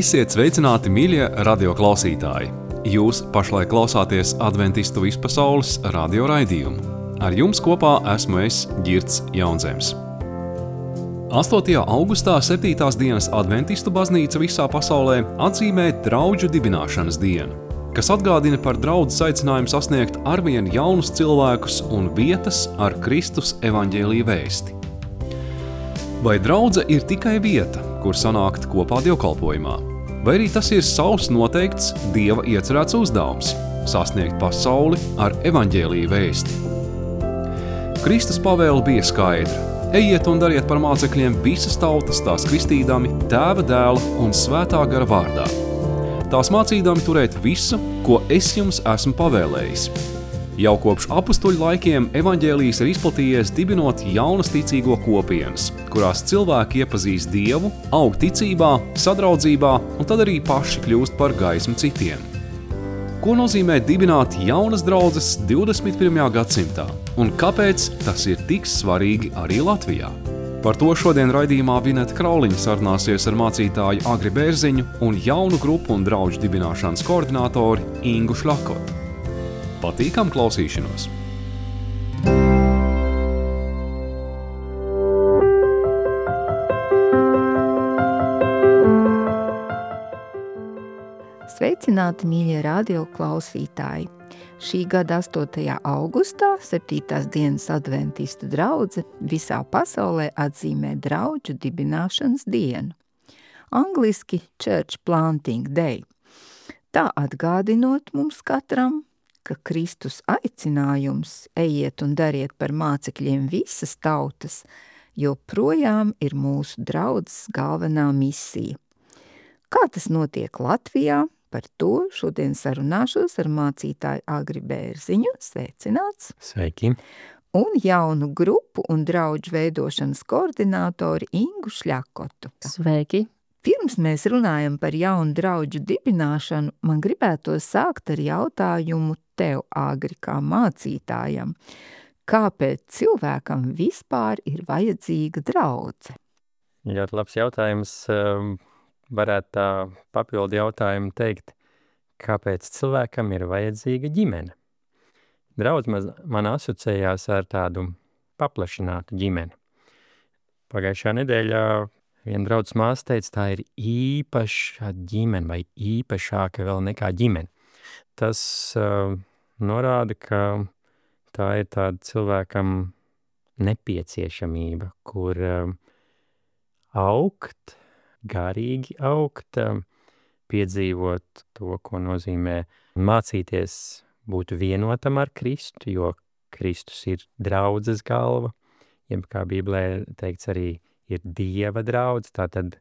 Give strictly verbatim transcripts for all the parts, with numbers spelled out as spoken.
Esiet sveicināti, mīļie radioklausītāji! Jūs pašlaik klausāties Adventistu vispasaules radio raidījumu. Ar jums kopā esmu es, Girts Jaunzems. astotajā augustā septītās dienas Adventistu baznīca visā pasaulē atzīmē draudžu dibināšanas dienu, kas atgādina par draudzes aicinājumu sasniegt arvien jaunus cilvēkus un vietas ar Kristus evaņģēlija vēsti. Vai draudze ir tikai vieta, kur sanākt kopā dievkalpojumā? Vai arī tas ir savs noteikts Dieva iecerēts uzdevums – sasniegt pasauli ar evaņģēlija vēsti? Kristus pavēle bija skaidra. Ejiet un dariet par mācekļiem visas tautas, tās kristīdami, Tēva, Dēla un Svētā gara vārdā. Tās mācīdami turēt visu, ko es jums esmu pavēlējis. Jau kopš apustuļu laikiem evaņģēlijs ir izplatījies dibinot jaunas ticīgo kopienas, kurās cilvēki iepazīst Dievu, aug ticībā, sadraudzībā un tad arī paši kļūst par gaismu citiem. Ko nozīmē dibināt jaunas draudzes divdesmit pirmajā gadsimtā un kāpēc tas ir tik svarīgi arī Latvijā? Par to šodien raidījumā Vineta Krauliņa sarunāsies ar mācītāju Agri Bērziņu un jaunu grupu un draudžu dibināšanas koordinātori Ingu Šļakotu. Patīkam klausīšanos! Sveicināti, mīļie radio klausītāji! Šī gada astotajā augustā septītās dienas Adventistu draudze visā pasaulē atzīmē draudžu dibināšanas dienu. Angliski Church Planting Day. Tā atgādinot mums katram, ka Kristus aicinājums ejiet un dariet par mācekļiem visas tautas, joprojām ir mūsu draudzes galvenā misija. Kā tas notiek Latvijā? Par to šodien sarunāšos ar mācītāju Agri Bērziņu, sveicināts. Sveiki. Un jaunu grupu un draudžu veidošanas koordinātori Ingu Šļakotu. Sveiki. Pirms mēs runājam par jaunu draudžu dibināšanu, man gribētos sākt ar jautājumu tev, Agri, kā mācītājam. Kāpēc cilvēkam vispār ir vajadzīga draudze? Ļoti labs jautājums. Varētu tā papildu jautājumu teikt, kāpēc cilvēkam ir vajadzīga ģimene. Draudz man asociējās ar tādu paplašinātu ģimeni. Pagājušā nedēļā viena draudzes māsa teica, tā ir īpaša ģimene vai īpašāka vēl nekā ģimene. Tas uh, norāda, ka tā ir tāda cilvēkam nepieciešamība, kur uh, augt, garīgi augt, piedzīvot to, ko nozīmē mācīties būt vienotam ar Kristu, jo Kristus ir draudzes galva, jeb kā Bībelē teikts arī ir Dieva draudze, tātad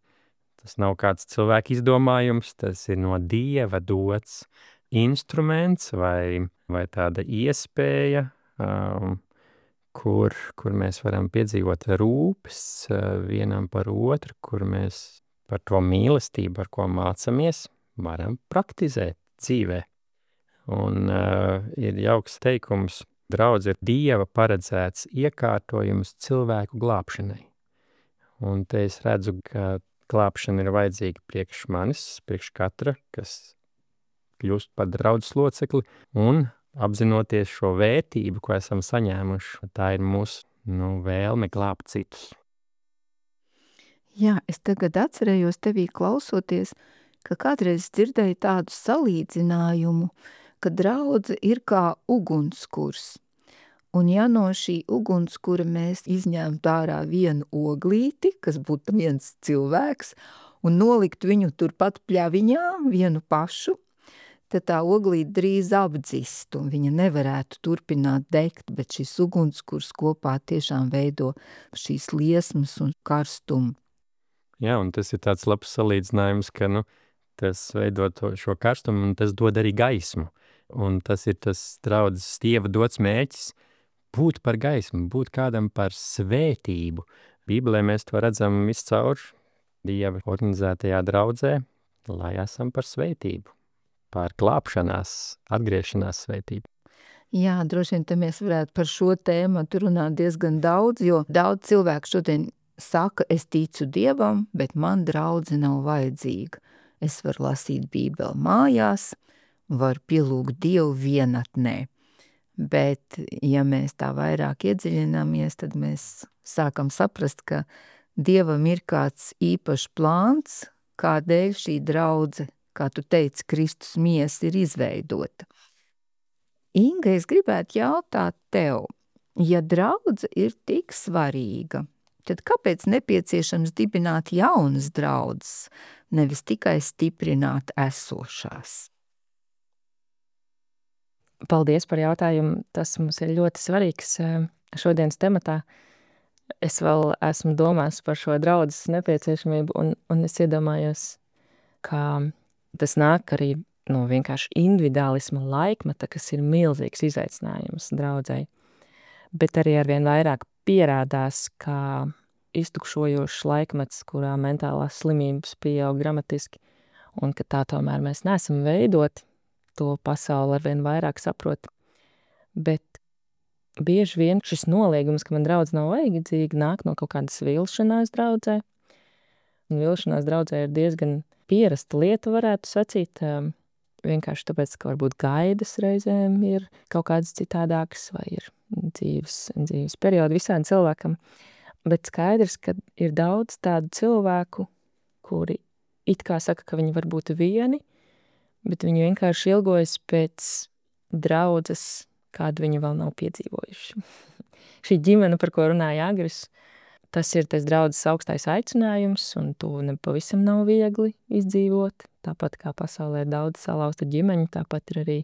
tas nav kāds cilvēka izdomājums, tas ir no Dieva dots instruments vai, vai tāda iespēja, um, kur, kur mēs varam piedzīvot rūpes uh, vienam par otru, kur mēs par to mīlestību, ar ko mācamies, varam praktizēt dzīvē. Un uh, ir jauks teikums, draudz ir Dieva paredzēts iekārtojums cilvēku glābšanai. Un te es redzu, ka glābšana ir vajadzīga priekš manis, priekš katra, kas kļūst par draudzes locekli, un apzinoties šo vērtību, ko esam saņēmuši, tā ir mūsu nu, vēlme glābt citus. Jā, es tagad atcerējos tevī klausoties, ka kādreiz dzirdēju tādu salīdzinājumu, ka draudze ir kā ugunskurs. Un ja no šī ugunskura mēs izņemtu ārā vienu oglīti, kas būtu viens cilvēks, un nolikt viņu turpat pļaviņā, vienu pašu, tad tā oglīte drīz apdzist, un viņa nevarētu turpināt degt, bet šis ugunskurs kopā tiešām veido šīs liesmas un karstumu. Jā, un tas ir tāds labs salīdzinājums, ka nu, tas veido to, šo karstumu, un tas dod arī gaismu. Un tas ir tas draudzes Dieva dots mērķis būt par gaismu, būt kādam par svētību. Bībelē mēs to redzam viscaur Dieva organizētajā draudzē, lai esam par svētību, par glābšanās, atgriešanās svētību. Jā, droši vien te mēs varētu par šo tēmu runāt diezgan daudz, jo daudz cilvēku šodien saka, es ticu Dievam, bet man draudze nav vajadzīga. es varu lasīt Bībeli mājās, varu pielūgt Dievu vienatnē. Bet, ja mēs tā vairāk iedziļināmies, tad mēs sākam saprast, ka Dievam ir kāds īpašs plāns, kādēļ šī draudze, kā tu teici, Kristus miesa ir izveidota. Inga, es gribētu jautāt tev, ja draudze ir tik svarīga, tad kāpēc nepieciešams dibināt jaunas draudzes, nevis tikai stiprināt esošās? Paldies par jautājumu. Tas mums ir ļoti svarīgs šodienas tematā. Es vēl esmu domājis par šo draudzes nepieciešamību, un, un es iedomājos, ka tas nāk arī no vienkārši individuālisma laikmeta, kas ir milzīgs izaicinājums draudzei. Bet arī arvien vairāk pierādās, ka iztukšojošs laikmets, kurā mentālās slimības pieaug dramatiski, un ka tā tomēr mēs neesam veidoti, to pasauli arvien vairāk saprot. Bet bieži vien šis noliegums, ka man draudze nav vajadzīga, nāk no kaut kādas vilšanās draudzē. Un vilšanās draudzē ir diezgan pierasta lieta, varētu sacīt, vienkārši tāpēc, ka varbūt gaidas reizēm ir kaut kādas citādākas, vai ir dzīves, dzīves periodi visādi cilvēkam. Bet skaidrs, ka ir daudz tādu cilvēku, kuri it kā saka, ka viņi var būt vieni, bet viņi vienkārši ilgojas pēc draudzes, kādu viņi vēl nav piedzīvojuši. Šī ģimene, par ko runāja Agris, tas ir tas draudzes augstais aicinājums, un to nepavisam nav viegli izdzīvot. Tāpat kā pasaulē ir daudz salauztu ģimeņu, tāpat ir arī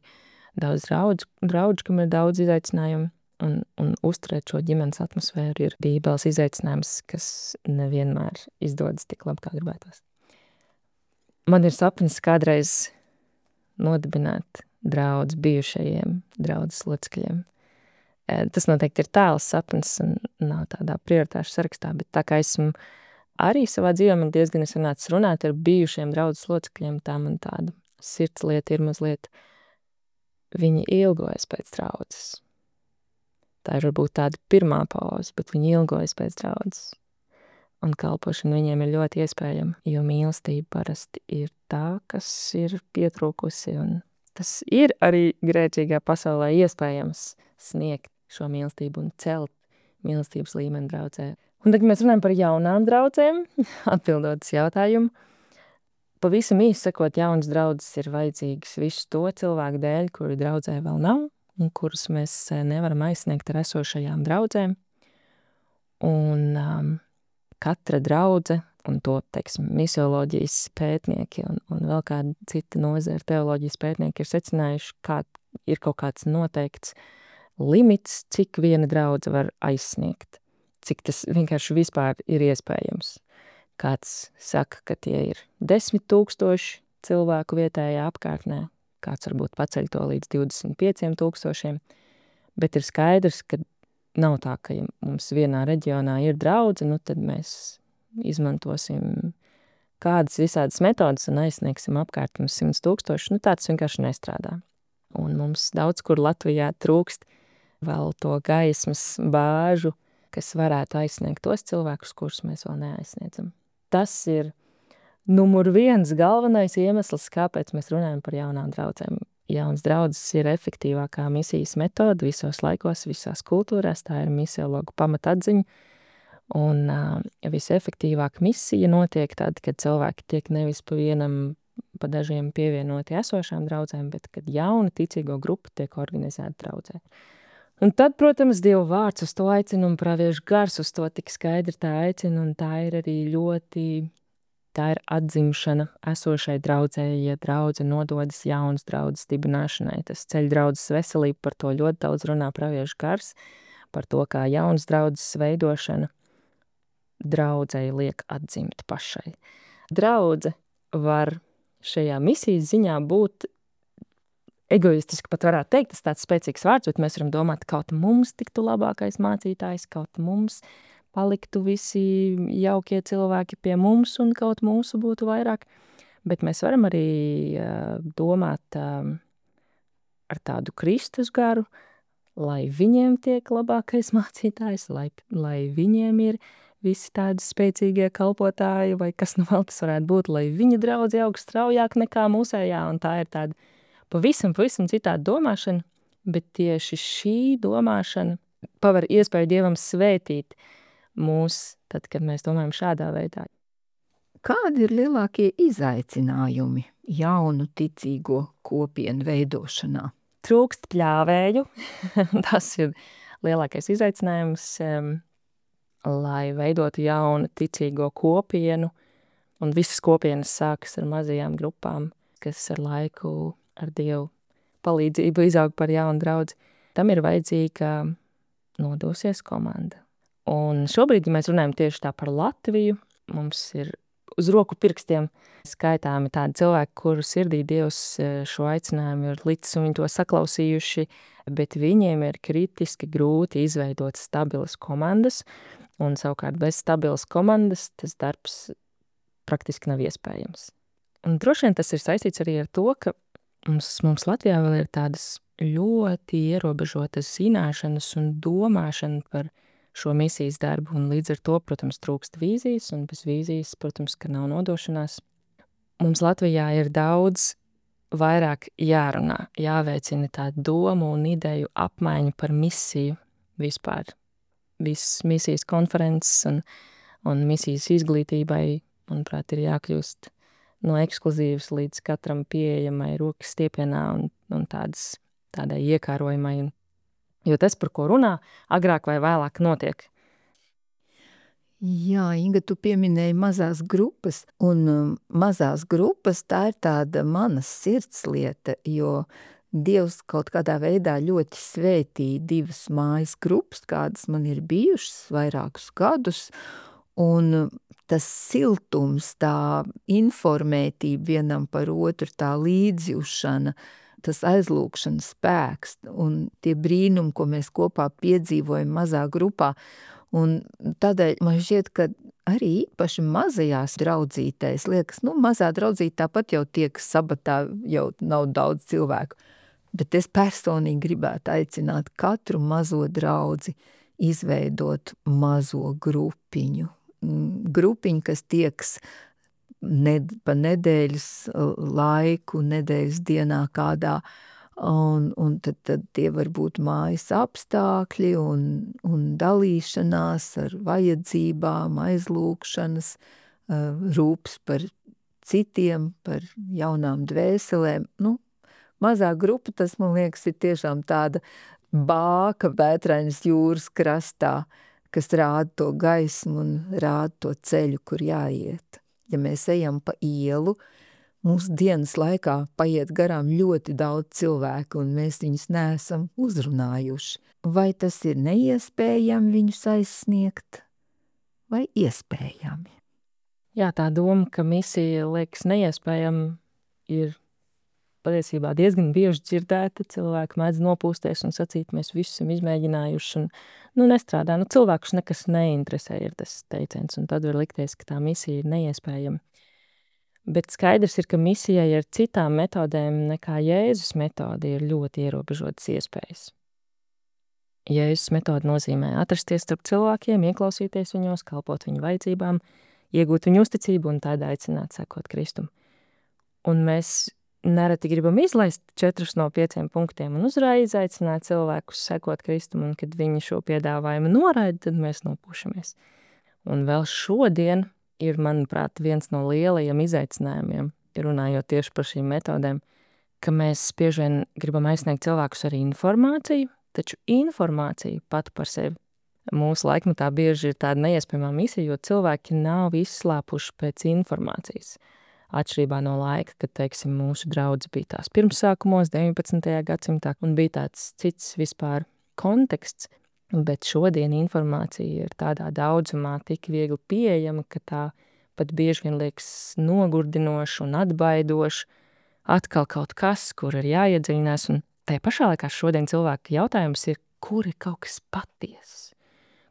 daudz draudžu, draudžu kam ir daudz izaicinājumu, un, un uzturēt šo ģimenes atmosfēru ir Bībeles izaicinājums, kas nevienmēr izdodas tik labi, kā gribētos. Man ir sapnis kādreiz nodibināt draudz bijušajiem draudzes locekļiem. Tas noteikti ir tāls sapnis un nav tādā prioritāšu sarakstā, bet tā kā esmu arī savā dzīvē, man diezgan es runāts runāt ar bijušiem draudzes locekļiem, tā man tāda sirdslieta ir mazliet, viņi ilgojas pēc draudzes. Tā ir varbūt tāda pirmā pauze, bet viņi ilgojas pēc draudzes. Un kalpošana viņiem ir ļoti iespējama, jo mīlestība parasti ir tā, kas ir pietrūkusi, un tas ir arī grēcīgā pasaulē iespējams sniegt šo mīlestību un celt mīlestības līmeni draudzē. Un tad, kad mēs runājam par jaunām draudzēm, atbildot uz jautājumu, pavisam īsi sakot, jaunas draudzes ir vajadzīgas visu to cilvēku dēļ, kuri draudzē vēl nav, un kurus mēs nevaram aizsniegt ar esošajām draudzēm. Un um, katra draudze, un to, teiksim, misioloģijas pētnieki un, un vēl kāda cita nozara teoloģijas pētnieki ir secinājuši, kā ir kaut kāds noteikts limits, cik viena draudze var aizsniegt, cik tas vienkārši vispār ir iespējams. Kāds saka, ka tie ir desmit tūkstoši cilvēku vietējā apkārtnē, kāds varbūt paceļ to līdz divdesmit pieciem tūkstošiem, bet ir skaidrs, ka nav tā, ka ja mums vienā reģionā ir draudze, nu tad mēs izmantosim kādas visādas metodas un aizsniegsim apkārt mums simts tūkstoši, nu tāds vienkārši nestrādā. Un mums daudz kur Latvijā trūkst vēl to gaismas bāžu, kas varētu aizsniegt tos cilvēkus, kurus mēs vēl neaizsniedzam. Tas ir numur viens galvenais iemesls, kāpēc mēs runājam par jaunām draudzēm. Jaunas draudzes ir efektīvākā misijas metoda visos laikos, visās kultūrās, tā ir misiologu pamatatziņa, un uh, visefektīvāk misija notiek tad, kad cilvēki tiek nevis pa vienam, pa dažiem pievienoti esošām draudzēm, bet kad jauna ticīgo grupa tiek organizēta draudzē. Un tad, protams, Dieva vārds uz to aicina un praviešu gars uz to tik skaidri tā aicina, un tā ir arī ļoti, tā ir atzimšana esošai draudzē, ja draudze nododas jaunas draudzes dibināšanai. Tas ceļ draudzes veselību, par to ļoti daudz runā praviešu gars, par to, kā jaunas draudzes veidošana draudzei liek atzimt pašai. Draudze var šajā misijas ziņā būt egoistiski, pat varētu teikt, tas tāds spēcīgs vārds, bet mēs varam domāt, kaut mums tiktu labākais mācītājs, kaut mums paliktu visi jaukie cilvēki pie mums un kaut mūsu būtu vairāk, bet mēs varam arī uh, domāt uh, ar tādu Kristus garu, lai viņiem tiek labākais mācītājs, lai, lai viņiem ir visi tādi spēcīgie kalpotāji, vai kas nu vēl tas varētu būt, lai viņa draudze aug straujāk nekā mūsējā, un tā ir tāda pavisam, pavisam citāda domāšana, bet tieši šī domāšana paver iespēju Dievam svētīt mūs, tad, kad mēs domājam šādā veidā. Kādi ir lielākie izaicinājumi jaunu ticīgo kopienu veidošanā? Trūkst pļāvēju, tas ir lielākais izaicinājums, um, lai veidotu jaunu ticīgo kopienu, un visas kopienas sākas ar mazajām grupām, kas ar laiku, ar Dievu palīdzību izaug par jaunu draudzi. Tam ir vajadzīga nodosies komanda. Un šobrīd, ja mēs runājam tieši tā par Latviju, mums ir uz roku pirkstiem skaitāmi tādi cilvēki, kuru sirdī Dievs šo aicinājumu ir licis un viņi to saklausījuši, bet viņiem ir kritiski grūti izveidot stabilas komandas, un savukārt bez stabilas komandas tas darbs praktiski nav iespējams. Un droši vien tas ir saistīts arī ar to, ka mums, mums Latvijā vēl ir tādas ļoti ierobežotas zināšanas un domāšana par šo misijas darbu, un līdz ar to, protams, trūkst vīzijas, un bez vīzijas, protams, ka nav nodošanās. Mums Latvijā ir daudz vairāk jārunā, jāveicina tā domu un ideju apmaiņu par misiju vispār. Visas misijas konferences un, un misijas izglītībai, manuprāt, ir jākļūst no ekskluzīvas līdz katram pieejamai rokas stiepienā un, un tādas, tādai iekārojamai. Un, jo tas, par ko runā, agrāk vai vēlāk notiek. Jā, Inga, tu pieminēji mazās grupas, un um, mazās grupas tā ir tāda manas sirdslieta, jo Dievs kaut kādā veidā ļoti svētīja divas mājas grupas, kādas man ir bijušas vairākus gadus, un tas siltums, tā informētība vienam par otru, tā līdzjūšana, tas aizlūkšanas spēks un tie brīnumi, ko mēs kopā piedzīvojam mazā grupā. Un tādēļ man šķiet, ka arī īpaši mazajās draudzītēs, liekas, nu mazā draudzīte tāpat jau tiek sabatā, jau nav daudz cilvēku. Bet es personīgi gribētu aicināt katru mazo draudzi izveidot mazo grupiņu. Grupiņu, kas tieks ned, pa nedēļas laiku, nedēļas dienā kādā, un, un tad, tad tie var būt mājas apstākļi un, un dalīšanās ar vajadzībām, aizlūkšanas, rūps par citiem, par jaunām dvēselēm. Nu, mazā grupa, tas, man liekas, ir tiešām tāda bāka Vētrainas jūras krastā, kas rāda to gaismu un rāda to ceļu, kur jāiet. Ja mēs ejam pa ielu, mūsu dienas laikā paiet garām ļoti daudz cilvēku, un mēs viņus neesam uzrunājuši. Vai tas ir neiespējami viņus aizsniegt, vai iespējami? Jā, tā doma, ka misija liekas neiespējama, ir patiesībā diezgan bieži dzirdēta. Cilvēki mēdz nopūsties un sacīt, mēs visu esam izmēģinājuši un nu, nestrādā. Nu, cilvēkus nekas neinteresē, ir tas teiciens, un tad var likties, ka tā misija ir neiespējama. Bet skaidrs ir, ka misijai ar citām metodēm nekā Jēzus metode ir ļoti ierobežotas iespējas. Jēzus metode nozīmē atrasties starp cilvēkiem, ieklausīties viņos, kalpot viņu vajadzībām, iegūt viņu uzticību un tādā aicināt sekot Kristum. Un mēs nereti gribam izlaist četrus no pieciem punktiem un uzreiz aicināt cilvēkus sekot Kristum, un kad viņi šo piedāvājumu noraida, tad mēs nopūšamies. Un vēl šodien ir, manuprāt, viens no lielajiem izaicinājumiem, runājot tieši par šīm metodēm, ka mēs bieži vien gribam aizsniegt cilvēkus ar informāciju, taču informācija pat par sevi mūsu laikmetā bieži ir tāda neiespējamā misija, jo cilvēki nav izslāpuši pēc informācijas. Atšķirībā no laika, kad, teiksim, mūsu draudze bija tās pirmsākumos, deviņpadsmitajā gadsimtā, un bija tāds cits vispār konteksts, bet šodien informācija ir tādā daudzumā tik viegli pieejama, ka tā pat bieži vien liekas nogurdinoša un atbaidoša, atkal kaut kas, kur ir jāiedziļinās, un tajā pašā laikā šodien cilvēka jautājums ir, kur ir kaut kas patiess,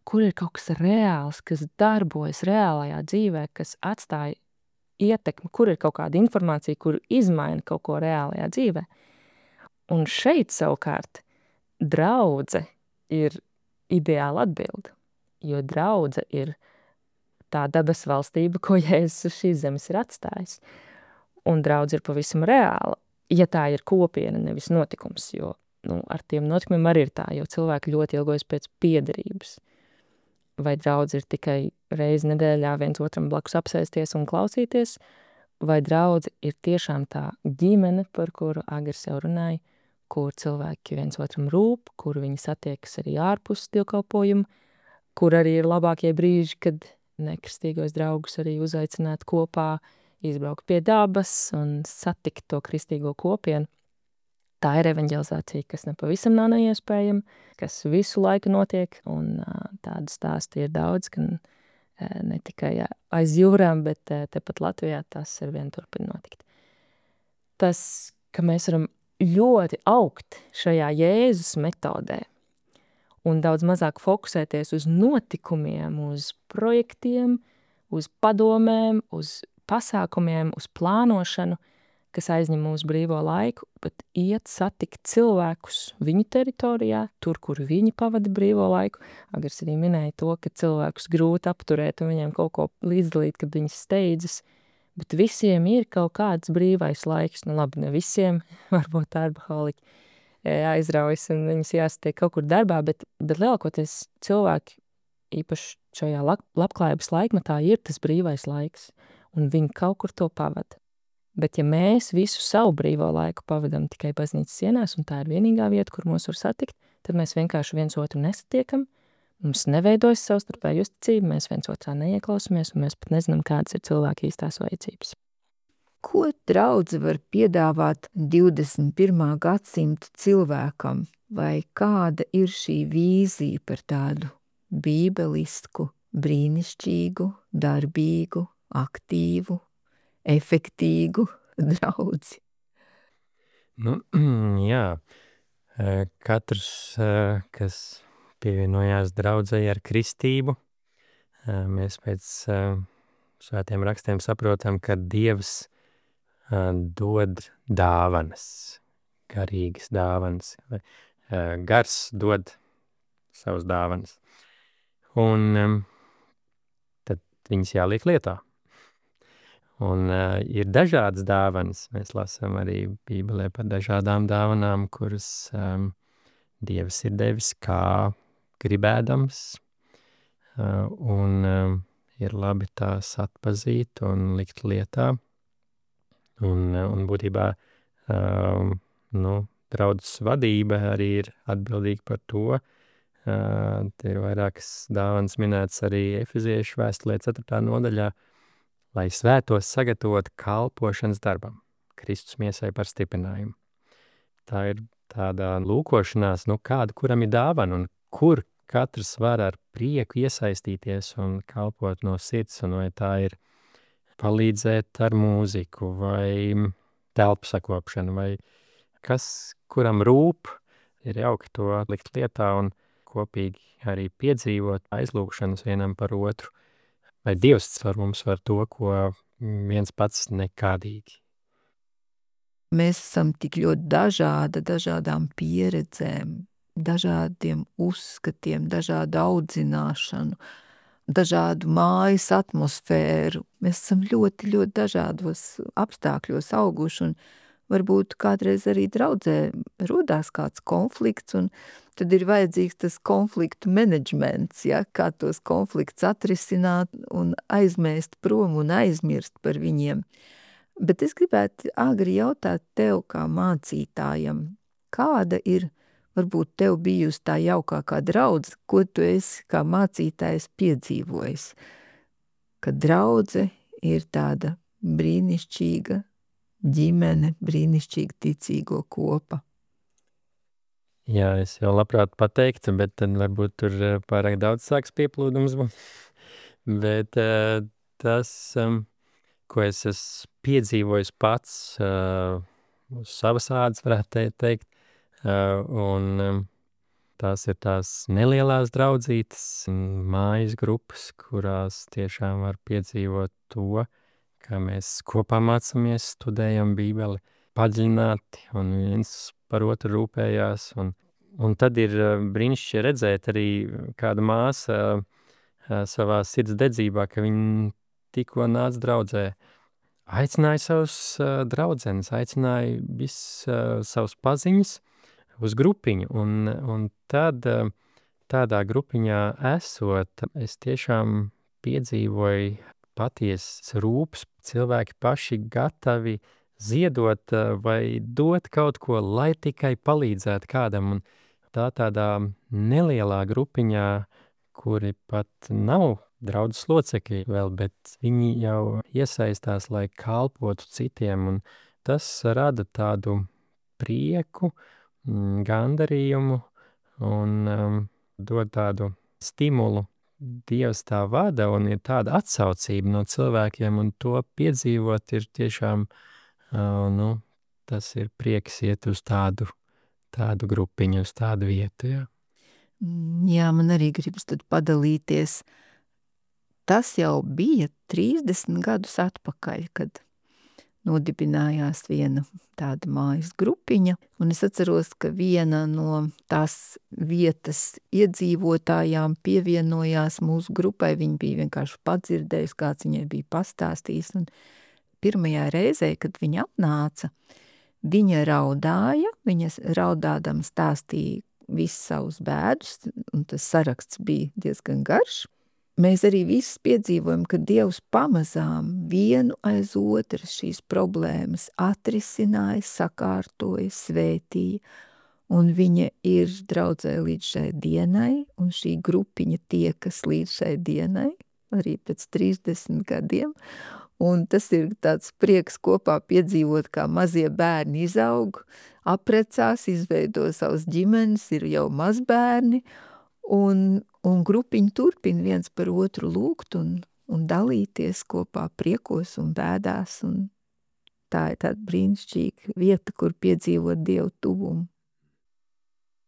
kur ir kaut kas reāls, kas darbojas reālajā dzīvē, kas atstāja ietekmi, kur ir kaut kāda informācija, kur izmaina kaut ko reālajā dzīvē. Un šeit savukārt draudze ir ideāla atbilde, jo draudze ir tā debesu valstība, ko Jēzus uz šīs zemes ir atstājis. Un draudz ir pavisam reāla, ja tā ir kopiena, nevis notikums, jo nu, ar tiem notikumiem arī ir tā, jo cilvēki ļoti ilgojas pēc piederības. Vai draudz ir tikai reizi nedēļā viens otram blakus apsēsties un klausīties, vai draudz ir tiešām tā ģimene, par kuru Agars jau runāja, kur cilvēki viens otram rūp, kur viņi satiekas arī ārpus dievkalpojuma, kur arī ir labākie brīži, kad nekristīgos draugus arī uzaicināt kopā, izbraukt pie dabas un satikt to kristīgo kopienu. Tā ir evanģelizācija, kas nepavisam nav neiespējama, kas visu laiku notiek, un tādu stāstu ir daudz, gan ne tikai aiz jūrām, bet tepat Latvijā tas ar vien turpina notikt. Tas, ka mēs varam ļoti augt šajā Jēzus metodē un daudz mazāk fokusēties uz notikumiem, uz projektiem, uz padomēm, uz pasākumiem, uz plānošanu, kas aizņem mūsu brīvo laiku, bet iet satikt cilvēkus viņu teritorijā, tur, kur viņi pavada brīvo laiku. Agars arī minēja to, ka cilvēkus grūti apturēt un viņiem kaut ko līdzdalīt, kad viņi steidzas, bet visiem ir kaut kāds brīvais laiks. Nu labi, ne visiem, varbūt darbaholiķi aizraujas un viņus jāsatiek kaut kur darbā, bet, bet lielākoties cilvēki, īpaši šajā labklājības laikmetā, ir tas brīvais laiks, un viņi kaut kur to pavada. Bet ja mēs visu savu brīvo laiku pavadam tikai baznīcas sienās, un tā ir vienīgā vieta, kur mūs var satikt, tad mēs vienkārši viens otru nesatiekam, mums neveidojas savstarpēja uzticība, mēs viens otrā neieklausamies, un mēs pat nezinām, kādas ir cilvēka īstās vajadzības. Ko draudze var piedāvāt divdesmit pirmā gadsimta cilvēkam, vai kāda ir šī vīzija par tādu bībelisku, brīnišķīgu, darbīgu, aktīvu, efektīgu draudzi? Nu, jā, katrs, kas pievienojās draudzei ar kristību, mēs pēc svētiem rakstiem saprotam, ka Dievs dod dāvanas, garīgas dāvanas, gars dod savas dāvanas, un tad viņas jāliek lietā. Un uh, ir dažādas dāvanas, mēs lasām arī Bībelē par dažādām dāvanām, kuras um, Dievs ir devis kā gribēdams, uh, un um, ir labi tās atpazīt un likt lietā. Un, un būtībā um, nu, draudzes vadība arī ir atbildīga par to. Uh, te ir vairākas dāvanas minētas arī Efeziešu vēstulē ceturtā nodaļā, lai svētos sagatavot kalpošanas darbam, Kristus miesai par stiprinājumu. Tā ir tāda lūkošanās, nu kāda, kuram ir dāvana, un kur katrs var ar prieku iesaistīties un kalpot no sirds, un vai tā ir palīdzēt ar mūziku, vai telpu sakopšanu, vai kas, kuram rūp, ir jauki to likt lietā un kopīgi arī piedzīvot aizlūgšanas vienam par otru. Vai Dievs ar mums var to, ko viens pats nekādīgi. Mēs esam tik ļoti dažādi, dažādām pieredzēm, dažādiem uzskatiem, dažādu audzināšanu, dažādu mājas atmosfēru. Mēs esam ļoti, ļoti dažādos apstākļos auguši, un varbūt kādreiz arī draudzē rodās kāds konflikts, un tad ir vajadzīgs tas konfliktu menedžments, ja, kā tos konflikts atrisināt un aizmēst prom un aizmirst par viņiem. Bet es gribētu Agri jautāt tev kā mācītājam, kāda ir varbūt tev bijusi tā jaukākā draudze, ko tu esi kā mācītājs piedzīvojis, ka draudze ir tāda brīnišķīga ģimene, brīnišķīga ticīgo kopa. Jā, es jau labprāt pateiktu, bet tad varbūt tur pārāk daudz sāks pieplūdums būt. Bet uh, tas, um, ko es esmu piedzīvojis pats uh, uz savas ādas, varētu teikt, uh, un um, tās ir tās nelielās draudzītes, mājas grupas, kurās tiešām var piedzīvot to, ka mēs kopā mācāmies, studējam Bībeli padziļināti un viens par otru rūpējās. Un, un tad ir brīnišķīgi redzēt arī kāda māsa savā sirds dedzībā, ka viņi tikko nāca draudzē. Aicināja savus uh, draudzenes, aicināja visus uh, savus paziņas uz grupiņu. Un, un tad uh, tādā grupiņā esot, es tiešām piedzīvoju patiesas rūpes. Cilvēki paši gatavi ziedot uh, vai dot kaut ko, lai tikai palīdzētu kādam. Un tā tādā nelielā grupiņā, kuri pat nav draudzes locekļi vēl, bet viņi jau iesaistās, lai kalpotu citiem, un tas rada tādu prieku, gandarījumu un um, dod tādu stimulu. Dievs tā vada, un ir tāda atsaucība no cilvēkiem, un to piedzīvot ir tiešām, uh, nu, tas ir prieks iet uz tādu, tādu grupiņu, uz tādu vietu, jā. Jā, man arī gribas tad padalīties. Tas jau bija trīsdesmit gadus atpakaļ, kad nodibinājās viena tāda mājas grupiņa, un es atceros, ka viena no tās vietas iedzīvotājām pievienojās mūsu grupai. Viņa bija vienkārši padzirdējusi, kāds viņai bija pastāstījis, un pirmajā reizē, kad viņa atnāca, viņa raudāja, viņas raudādama stāstīja visus savus bēdus, un tas saraksts bija diezgan garš. Mēs arī visi piedzīvojam, ka Dievs pamazām vienu aiz otras šīs problēmas atrisināja, sakārtoja, svētīja, un viņa ir draudzē līdz šai dienai, un šī grupiņa tiekas līdz šai dienai, arī pēc trīsdesmit gadiem, un tas ir tāds prieks kopā piedzīvot, kā mazie bērni izaug, aprecās, izveido savas ģimenes, ir jau mazbērni, un, un grupiņi turpina viens par otru lūgt un, un dalīties kopā priekos un bēdās, un tā ir tāda brīnišķīga vieta, kur piedzīvot Dievu tuvumu.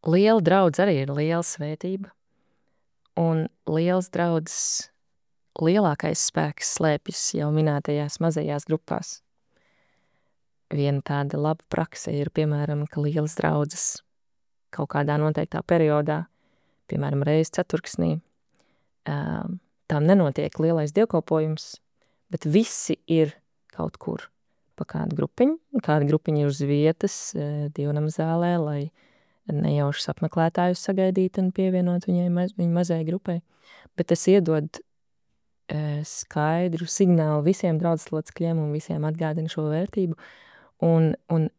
Liela draudz arī ir liela svētība, un liels draudzes lielākais spēks slēpjas jau minētajās mazajās grupās. Viena tāda laba prakse ir, piemēram, ka lielas draudzes kaut kādā noteiktā periodā, piemēram, reiz ceturksnī, tām nenotiek lielais dievkalpojums, bet visi ir kaut kur pa kādu grupiņu, kāda grupiņa ir uz vietas dievnama zālē, lai nejaušas apmeklētājus sagaidītu un pievienot viņai maz, viņa mazai grupai, bet tas iedod skaidru signālu visiem draudzes locekļiem un visiem atgādina šo vērtību un, un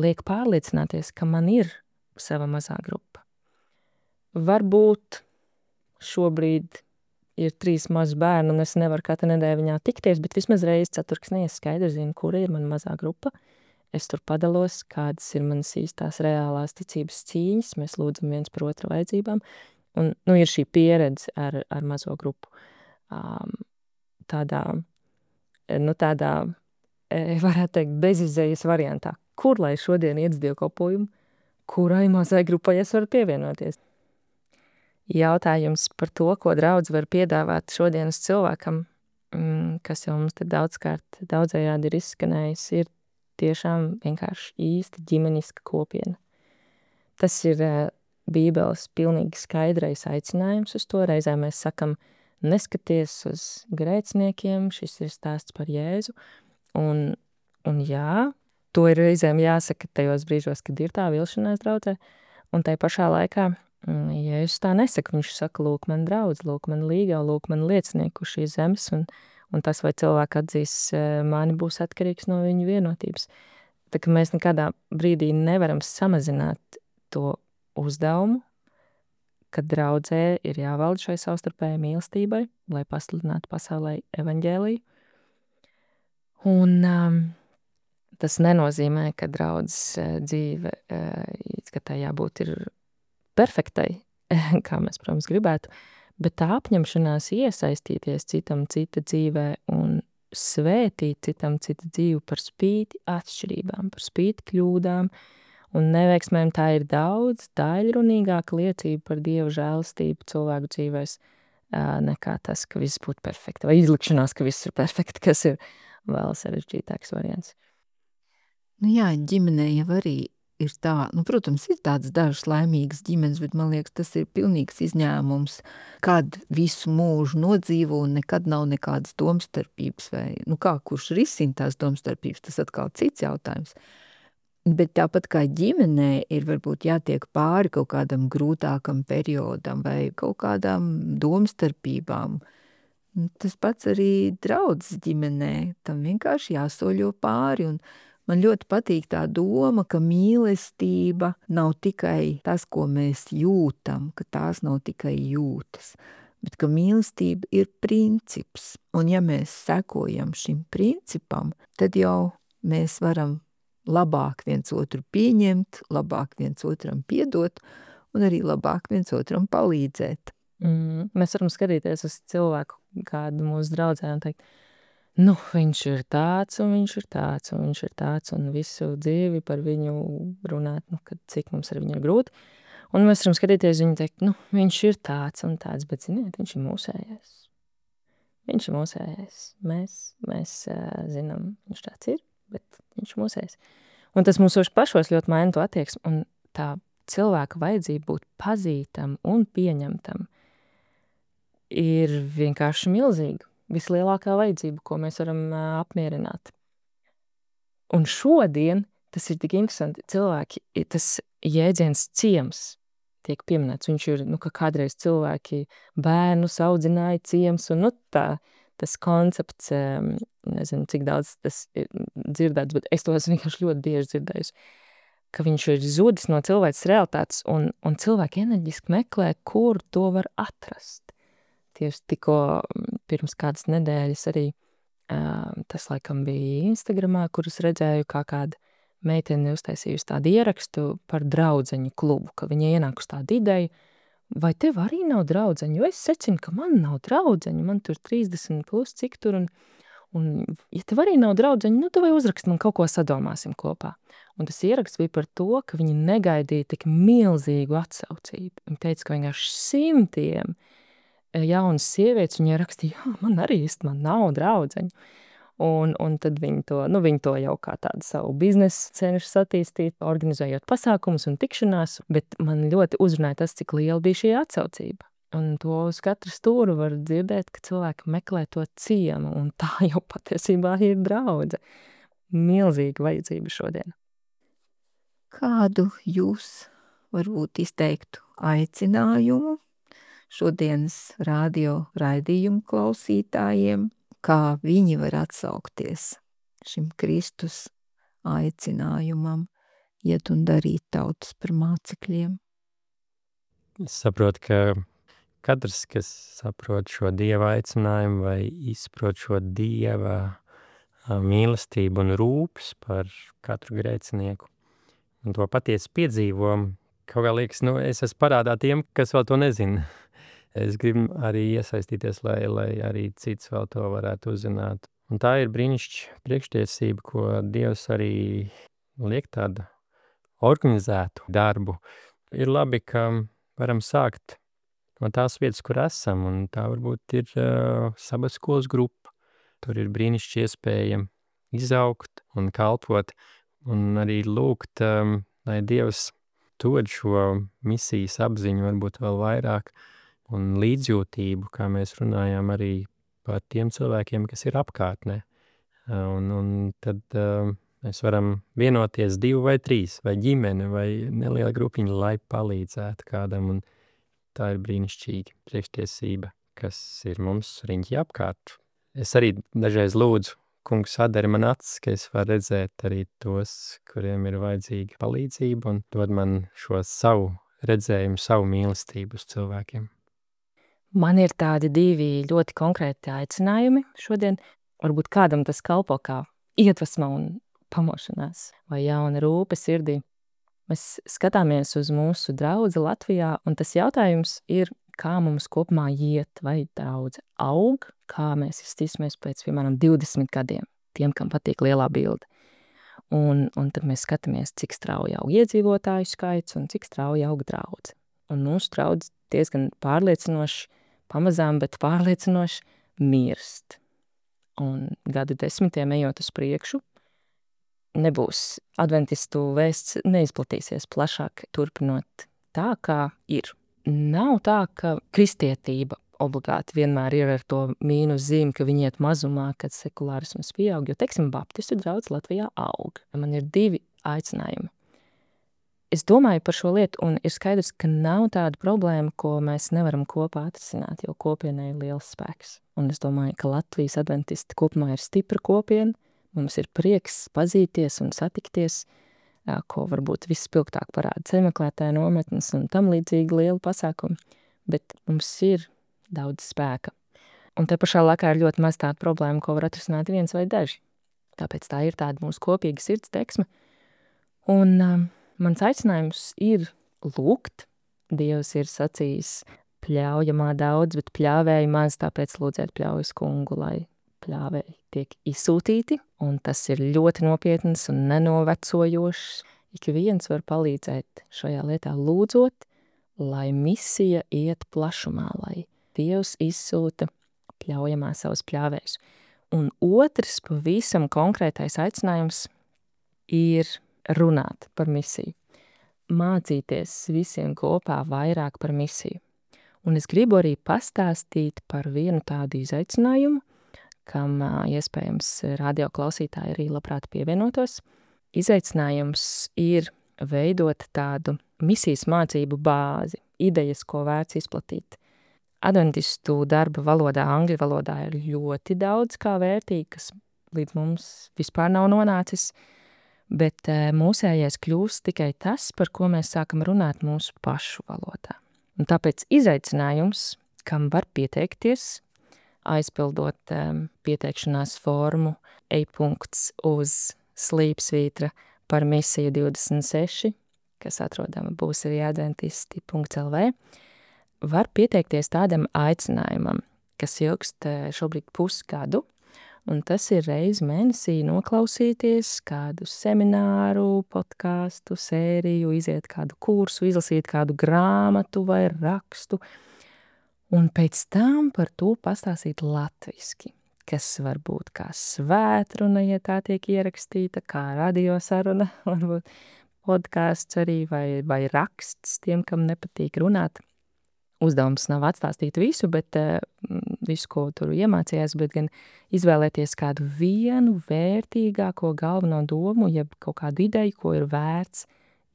liek pārliecināties, ka man ir sava mazā grupa. Varbūt šobrīd ir trīs mazi bērni, un es nevaru katru nedēļu viņā tikties, bet vismaz reizi ceturksnī es skaidri zinu, kura ir mana mazā grupa. Es tur padalos, kādas ir manas īstās reālās ticības cīņas, mēs lūdzam viens par otru vajadzībām, un nu, ir šī pieredze ar, ar mazo grupu. Um, tādā, nu tādā, varētu teikt, bezizējas variantā. Kur lai šodien iet uz dievkalpojumu, kurai mazai grupai es varu pievienoties? Jautājums par to, ko draudze var piedāvāt šodienas cilvēkam, kas jau mums te daudzkārt daudzējādi ir izskanējis, ir tiešām vienkārši īsta ģimeniska kopiena. Tas ir Bībeles pilnīgi skaidrais aicinājums uz to. Reizē mēs sakam, neskaties uz grēciniekiem, šis ir stāsts par Jēzu. Un, un jā, to ir reizēm jāsaka tajos brīžos, kad ir tā vilšanās draudzē, un tai pašā laikā Jēzus tā nesaka, viņš saka, lūk man draudz, lūk man līgā, lūk man liecinieku šīs zemes, un, un tas, vai cilvēki atzīs mani, būs atkarīgs no viņu vienotības. Tā ka mēs nekādā brīdī nevaram samazināt to uzdevumu, kad draudzē ir jāvalda šai savstarpējai mīlestībai, lai pasludinātu pasaulē evaņģēliju. Un um, tas nenozīmē, ka draudzes dzīve, ka tā jābūt ir perfektai, kā mēs, protams, gribētu, bet tā apņemšanās iesaistīties citam cita dzīvē un svētīt citam cita dzīvi par spīti atšķirībām, par spīti kļūdām un neveiksmēm, tā ir daudz daļrunīgāka liecība par Dieva žēlastību cilvēku dzīvēs nekā tas, ka viss būtu perfekti, vai izlikšanās, ka viss ir perfekti, kas ir vēl sarežģītāks variants. Nu jā, ģimenē jau arī ir tā, nu, protams, ir tādas dažas laimīgas ģimenes, bet man liekas, tas ir pilnīgs izņēmums, kad visu mūžu nodzīvo un nekad nav nekādas domstarpības vai, nu kā, kurš risina tās domstarpības, tas atkal cits jautājums. Bet tāpat kā ģimenē ir varbūt jātiek pāri kaut kādam grūtākam periodam vai kaut kādām domstarpībām. Tas pats arī draudzes ģimenē, tam vienkārši jāsoļo pāri, un man ļoti patīk tā doma, ka mīlestība nav tikai tas, ko mēs jūtam, ka tās nav tikai jūtas, bet ka mīlestība ir princips. Un ja mēs sekojam šim principam, tad jau mēs varam labāk viens otru pieņemt, labāk viens otram piedot un arī labāk viens otram palīdzēt. Mm, mēs varam skatīties uz cilvēku, kādu mūsu draudzē un teikt, nu, viņš ir tāds, un viņš ir tāds, un viņš ir tāds, un visu dzīvi par viņu runāt, nu, kad cik mums ar viņu ir grūti. Un mēs varam skatīties viņu teikt, nu, viņš ir tāds un tāds, bet, ziniet, viņš ir mūsējais. Viņš ir mūsējais. Mēs, mēs uh, zinām, viņš tāds ir, bet viņš ir mūsējais. Un tas mums pašos ļoti maina to attieksmi, un tā cilvēka vajadzība būt pazītam un pieņemtam ir vienkārši milzīga. Vislielākā vajadzība, ko mēs varam uh, apmierināt. Un šodien tas ir tik interesanti. Cilvēki, tas jēdziens ciems tiek pieminēts. Viņš ir, nu, ka kādreiz cilvēki bērnus audzināja ciems, un, nu, tā, tas koncepts, um, nezinu, cik daudz tas ir dzirdēts, bet es to esmu vienkārši ļoti bieži dzirdējusi, ka viņš ir zudis no cilvēces realitātes, un, un cilvēki enerģiski meklē, kur to var atrast. Tieši tikko pirms kādas nedēļas arī uh, tas laikam bija Instagramā, kurus redzēju, kā kāda meitene uztaisījusi tādu ierakstu par draudzeņu klubu, ka viņa ienāk uz tādu ideju, vai tev arī nav draudzeņu, jo es secinu, ka man nav draudzeņu, man tur trīsdesmit plus cik tur, un, un ja tev arī nav draudzeņu, nu tu vai uzrakst, man kaut ko sadomāsim kopā. Un tas ieraksts bija par to, ka viņi negaidīja tik milzīgu atsaucību. Viņi teica, ka vienkārši simtiem jaunas sievietes, viņai rakstīja, jā, man arī īsti, man nav draudzeņu. Un, un tad viņi to, nu, viņi to jau kā tādu savu biznesu cenšas attīstīt, organizējot pasākumus un tikšanās, bet man ļoti uzrunāja tas, cik liela bija šī atsaucība. Un to uz katru stūru var dzirdēt, ka cilvēki meklē to ciemu, un tā jau patiesībā ir draudze. Milzīga vajadzība šodien. Kādu jūs varbūt izteiktu aicinājumu šodienas radio raidījumu klausītājiem, kā viņi var atsaukties šim Kristus aicinājumam, iet un darīt tautas par mācekļiem? Es saprotu, ka katrs, kas saprot šo Dieva aicinājumu vai izprot šo Dieva mīlestību un rūpes par katru grēcinieku, un to patiesi piedzīvo, kaut kā liekas, nu, es esmu parādā tiem, kas vēl to nezina. Es gribu arī iesaistīties, lai, lai arī cits vēl to varētu uzzināt. Un tā ir brīnišķīga priekštiesība, ko Dievs arī liek tādu organizētu darbu. Ir labi, ka varam sākt no tās vietas, kur esam, un tā varbūt ir uh, sabats skolas grupa. Tur ir brīnišķīga iespēja izaugt un kalpot, un arī lūgt, um, lai Dievs dod šo misijas apziņu varbūt vēl vairāk, un līdzjūtību, kā mēs runājām arī par tiem cilvēkiem, kas ir apkārtnē. Un, un tad uh, mēs varam vienoties divi vai trīs, vai ģimene, vai neliela grupiņa, lai palīdzētu kādam. Un tā ir brīnišķīga priekštiesība, kas ir mums riņķi apkārt. Es arī dažreiz lūdzu, kungs, atdari man acis, ka es varu redzēt arī tos, kuriem ir vajadzīga palīdzība, un dod man šo savu redzējumu, savu mīlestību uz cilvēkiem. Man ir tādi divi ļoti konkrēti aicinājumi šodien. Varbūt kādam tas kalpo kā iedvesma un pamošanās vai jauna rūpe sirdī. Mēs skatāmies uz mūsu draudzi Latvijā, un tas jautājums ir, kā mums kopumā iet, vai draudze aug, kā mēs izstīsimies pēc, piemēram, divdesmit gadiem, tiem, kam patīk lielā bilde. Un, un tad mēs skatāmies, cik strauji aug iedzīvotāju skaits un cik strauji aug draudze. Un mūsu draudze diezgan pārliecinoši, pamazām, bet pārliecinoši mirst. Un gadu desmitiem ejot uz priekšu, nebūs adventistu vēsts, neizplatīsies plašāk turpinot tā, kā ir. Nav tā, ka kristietība obligāti vienmēr ir ar to mīnus zīmi, ka viņi iet mazumā, kad sekulārisms pieaug, jo, teiksim, baptistu draudz Latvijā aug. Man ir divi aicinājumi. Es domāju par šo lietu, un ir skaidrs, ka nav tāda problēma, ko mēs nevaram kopā atrisināt, jo kopienai ir liels spēks. Un es domāju, ka Latvijas adventisti kopumā ir stipra kopiena, mums ir prieks pazīties un satikties, ko varbūt vispilgtāk parāda ceļmeklētāju nometnes un tam līdzīgi lielu pasākumu, bet mums ir daudz spēka. Un te pašā laikā ir ļoti maz tāda problēma, ko var atrisināt viens vai daži. Tāpēc tā ir tāda mūsu kopīga sirds deksme. Un um, mans aicinājums ir lūgt. Dievs ir sacījis pļaujamā daudz, bet pļāvēji maz, tāpēc lūdziet pļaujas kungu, lai pļāvēji tiek izsūtīti, un tas ir ļoti nopietns un nenovecojošs. Ik viens var palīdzēt šajā lietā lūdzot, lai misija iet plašumā, lai Dievs izsūta pļaujamā savus pļāvējus. Un otrs pavisam konkrētais aicinājums ir runāt par misiju. Mācīties visiem kopā vairāk par misiju. Un es gribu arī pastāstīt par vienu tādu izaicinājumu, kam iespējams radio klausītāji arī labprāt pievienotos. Izaicinājums ir veidot tādu misijas mācību bāzi, idejas, ko vērts izplatīt. Adventistu darba valodā, angļu valodā ir ļoti daudz kā vērtīgi, kas līdz mums vispār nav nonācis, bet mūsējais kļūst tikai tas, par ko mēs sākam runāt mūsu pašu valodā. Un tāpēc izaicinājums, kam var pieteikties, aizpildot um, pieteikšanās formu e-punkts uz slīpsvītra par misiju divdesmit seši, kas atrodama būs arī adventisti punkts el vē, var pieteikties tādam aicinājumam, kas ilgst šobrīd pusgadu, un tas ir reizi mēnesī noklausīties kādu semināru, podcastu, sēriju, iziet kādu kursu, izlasīt kādu grāmatu vai rakstu, un pēc tam par to pastāstīt latviski, kas var būt kā svētruna, ja tā tiek ierakstīta, kā radiosaruna, varbūt podcasts arī, vai, vai raksts tiem, kam nepatīk runāt. Uzdevums nav atstāstīt visu, bet uh, visu, ko tur iemācījās, bet gan izvēlēties kādu vienu vērtīgāko galveno domu, jeb kaut kādu ideju, ko ir vērts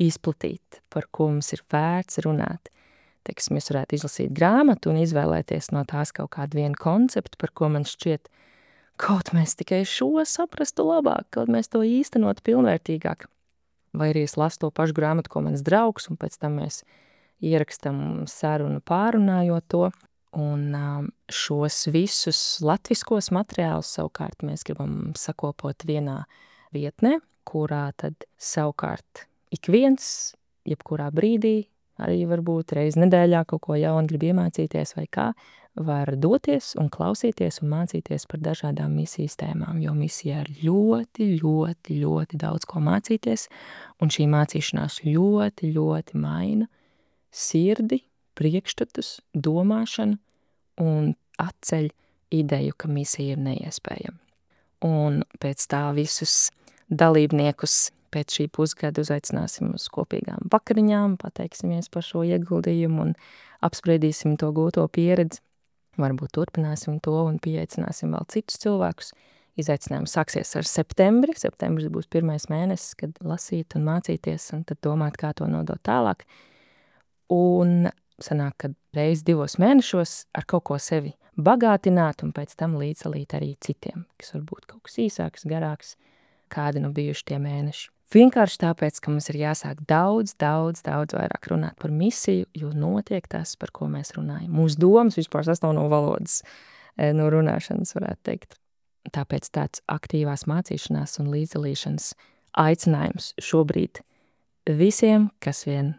izplatīt, par ko mums ir vērts runāt. Teiksim, es varētu izlasīt grāmatu un izvēlēties no tās kaut kādu vienu konceptu, par ko man šķiet, kaut mēs tikai šo saprastu labāk, kaut mēs to īstenot pilnvērtīgāk. Vai arī es lasu to pašu grāmatu, ko mans draugs, un pēc tam mēs ierakstam sarunu pārunājot to. Un um, šos visus latviskos materiālus savukārt mēs gribam sakopot vienā vietnē, kurā tad savukārt ik viens, jebkurā brīdī, arī varbūt reiz nedēļā kaut ko jaunu grib iemācīties vai kā, var doties un klausīties un mācīties par dažādām misijas tēmām, jo misijā ir ļoti, ļoti, ļoti daudz ko mācīties, un šī mācīšanās ļoti, ļoti maina sirdi, priekšstatus, domāšanu un atceļ ideju, ka misija ir neiespējama. Un pēc tā visus dalībniekus pēc šī pusgada uzaicināsim uz kopīgām vakariņām, pateiksimies par šo ieguldījumu un apspriedīsim to gūto pieredzi. Varbūt turpināsim to un pieaicināsim vēl citus cilvēkus. Izaicinājums sāksies ar septembri. Septembris būs pirmais mēnesis, kad lasīt un mācīties un tad domāt, kā to nodot tālāk. Un sanāk, ka reiz divos mēnešos ar kaut ko sevi bagātināt un pēc tam līdzdalīt arī citiem, kas varbūt kaut kas īsāks, garāks, kādi nu bijuši tie mēneši. Vienkārši tāpēc, ka mums ir jāsāk daudz, daudz, daudz vairāk runāt par misiju, jo notiek tas, par ko mēs runājam. Mūsu domas vispār sastāv no valodas, no runāšanas, varētu teikt. Tāpēc tāds aktīvās mācīšanās un līdzdalīšanas aicinājums šobrīd visiem, kas vien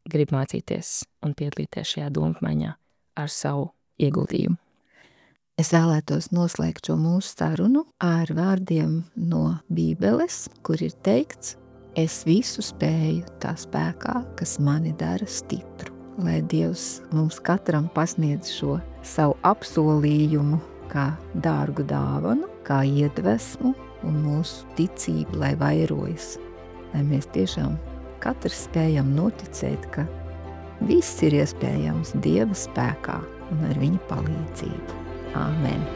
grib mācīties un piedalīties šajā domapmaiņā ar savu ieguldījumu. Es vēlētos noslēgt šo mūsu sarunu ar vārdiem no Bībeles, kur ir teikts: es visu spēju tā spēkā, kas mani dara stipru. Lai Dievs mums katram pasniedz šo savu apsolījumu kā dārgu dāvanu, kā iedvesmu un mūsu ticība, lai vairojas, lai mēs tiešām katrs spējam noticēt, ka viss ir iespējams Dieva spēkā un ar viņa palīdzību. Āmen!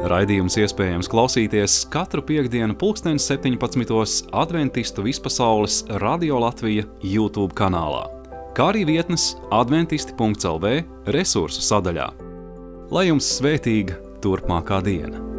Raidījums iespējams klausīties katru piektdienu pulksteni septiņpadsmitos Adventistu vispasaules Radio Latvija YouTube kanālā, kā arī vietnes adventisti punkts el vē resursu sadaļā. Lai jums svētīga turpmākā diena!